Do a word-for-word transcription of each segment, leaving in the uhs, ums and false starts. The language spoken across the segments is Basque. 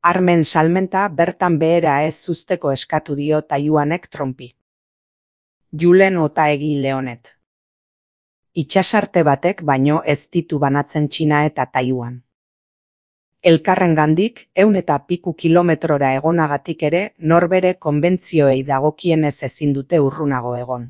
Armen salmenta bertan behera ez uzteko eskatu dio Taiwanek Trumpi. Julen Otaegi Leonet. Itxasarte batek baino ez ditu banatzen Txina eta Taiwan. Elkarrengandik ehun eta piku kilometrora egonagatik ere norbere konbentzioei dagokienez ezin dute urrunago egon.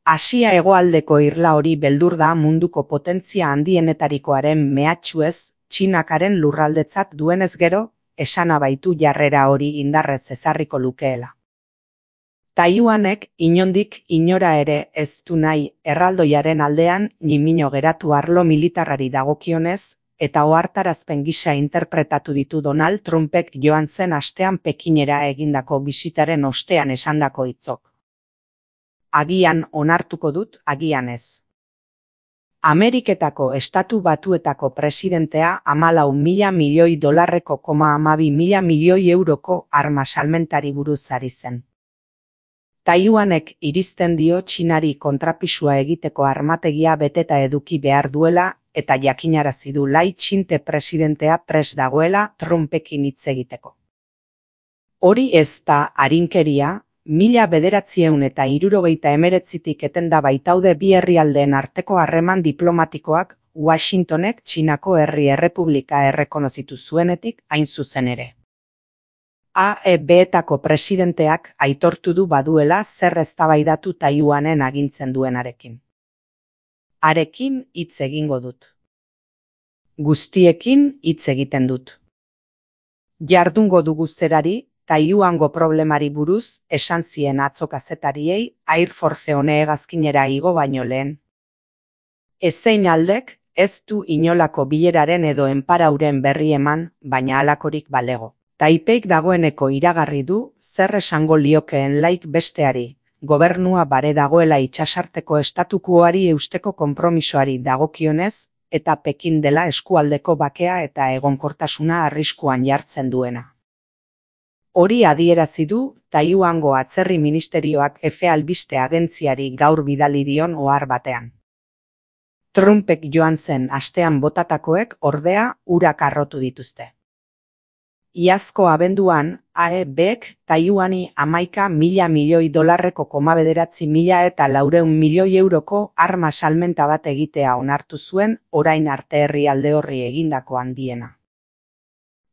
Asia hegoaldeko irla hori beldur da munduko potentzia handienetarikoaren mehatxuez Txinakaren lurraldetzat duenez gero, esana baitu jarrera hori indarrez ezarriko lukeela. Taiwanek inondik inora ere ez du nahi erraldoiaren aldean nimino geratu arlo militarrari dagokionez, eta ohartarazpen gisa interpretatu ditu Donald Trumpek joan zen astean Pekinera egindako bisitaren ostean esandako hitzok. Agian onartuko dut, agian ez. Ameriketako Estatu Batuetako presidentea hamalau mila milioi dolarreko koma hamabi mila milioi euroko arma salmentari buruz ari zen. Taiwanek irizten dio Txinari kontrapisua egiteko armategia beteta eduki behar duela eta jakinarazi du Lai Ching-te presidentea prest dagoela Trumpekin hitz egiteko. Hori ez da arinkeria, mila bederatziehun eta hirurogeita hemeretzitik etenda baitaude bi herrialdeen arteko harreman diplomatikoak Washingtonek Txinako Herri Errepublika errekonozitu zuenetik hain zuzen ere. A E B-etako presidenteak aitortu du baduela zer eztabaidatu Taiwanen agintzen duenarekin. Harekin hitz egingo dut. Guztiekin hitz egiten dut. Jardungo dugu zerari, Taiwango problemari buruz esan zien atzo kazetariei Air Force One hegazkinera igo baino lehen. Ezein aldek ez du inolako bileraren edo enparauren berri eman, baina halakorik balego. Taipeik dagoeneko iragarri du zer esango liokeen Laik besteari, gobernua bare dagoela itsasarteko estatukuari eusteko konpromisoari dagokionez, eta Pekin dela eskualdeko bakea eta egonkortasuna arriskuan jartzen duena. Hori adierazi du Taiwango atzerri ministerioak Efe albiste agentziari gaur bidali dion ohar batean. Trumpek joan zen astean botatakoek ordea urak harrotu dituzte. Iazko abenduan, A E Bek Taiwani hamaika mila milioi dolarreko koma bederatzi mila eta laurehun milioi euroko arma salmenta bat egitea onartu zuen orain arte herrialde horri egindako handiena.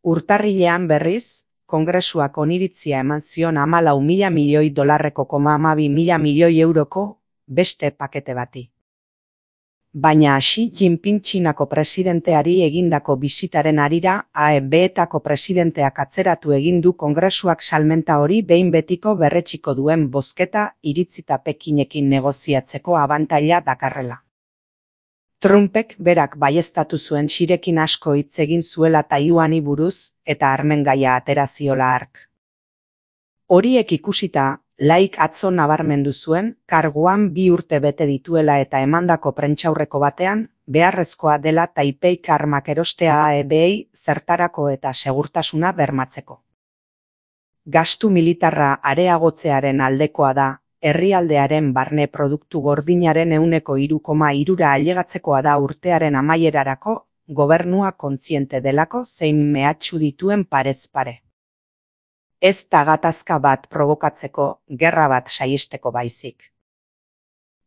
Urtarrilean berriz, Kongresuak oniritzia eman zion hamalau mila milioi dolarreko koma hamabi mila milioi euroko beste pakete bati. Baina Xi Jinping Txinako presidenteari egindako bisitaren harira A E B-etako presidenteak atzeratu egin du Kongresuak salmenta hori behin betiko berretsiko duen bozketa iritzita Pekinekin negoziatzeko abantaila dakarrela. Trumpek berak baieztatu zuen Xirekin asko hitz egin zuela Taiwani buruz eta armen gaia atera ziola hark. Horiek ikusita, Laik atzo nabarmendu zuen, karguan bi urte bete dituela eta emandako prentsaurreko batean, beharrezkoa dela Taipeik armak erostea A E B-ei zertarako eta segurtasuna bermatzeko. Gastu militarra areagotzearen aldekoa da, herrialdearen barne produktu gordinaren ehuneko hiru koma hirura ailegatzekoa da urtearen amaierarako, gobernua kontziente delako zein mehatxu dituen parez pare. Ez da gatazka bat probokatzeko, gerra bat saihesteko baizik.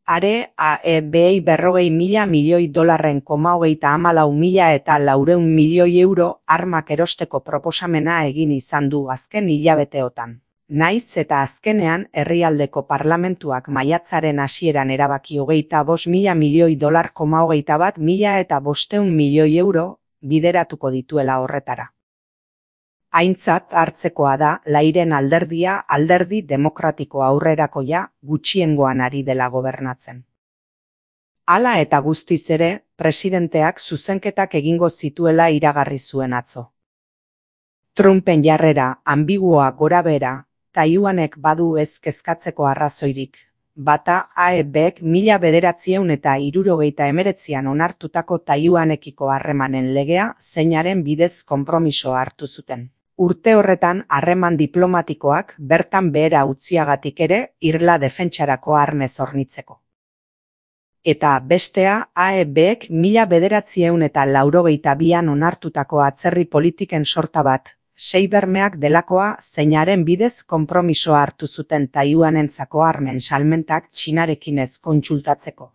Are A E B-ei berrogei mila milioi dolarren koma hogeita hamalau mila eta laurehun milioi euro armak erosteko proposamena egin izan du azken hilabeteotan. Naiz eta azkenean herrialdeko parlamentuak maiatzaren hasieran erabaki hogeita bost mila milioi dolar koma hogeita bat mila eta bostehun milioi euro bideratuko dituela horretara. Aintzat hartzekoa da Lairen alderdia alderdi demokratiko aurrerakoia gutxiengoan ari dela gobernatzen. Hala eta guztiz ere, presidenteak zuzenketak egingo zituela iragarri zuen atzo. Trumpen jarrera ambiguoa gorabehera, Taiwanek badu ez kezkatzeko arrazoirik. Bata A E Bek mila bederatziehun eta hirurogeita hemeretzian onartutako Taiwanekiko harremanen legea zeinaren bidez konpromisoa hartu zuten. Urte horretan harreman diplomatikoak bertan behera utziagatik ere irla defentsarako armez hornitzeko. Eta bestea A E Bek mila bederatziehun eta laurogeita bian onartutako atzerri politiken sorta bat, sei bermeak delakoa zeinaren bidez konpromisoa hartu zuten Taiwanentzako armen salmentak Txinarekin ez kontsultatzeko.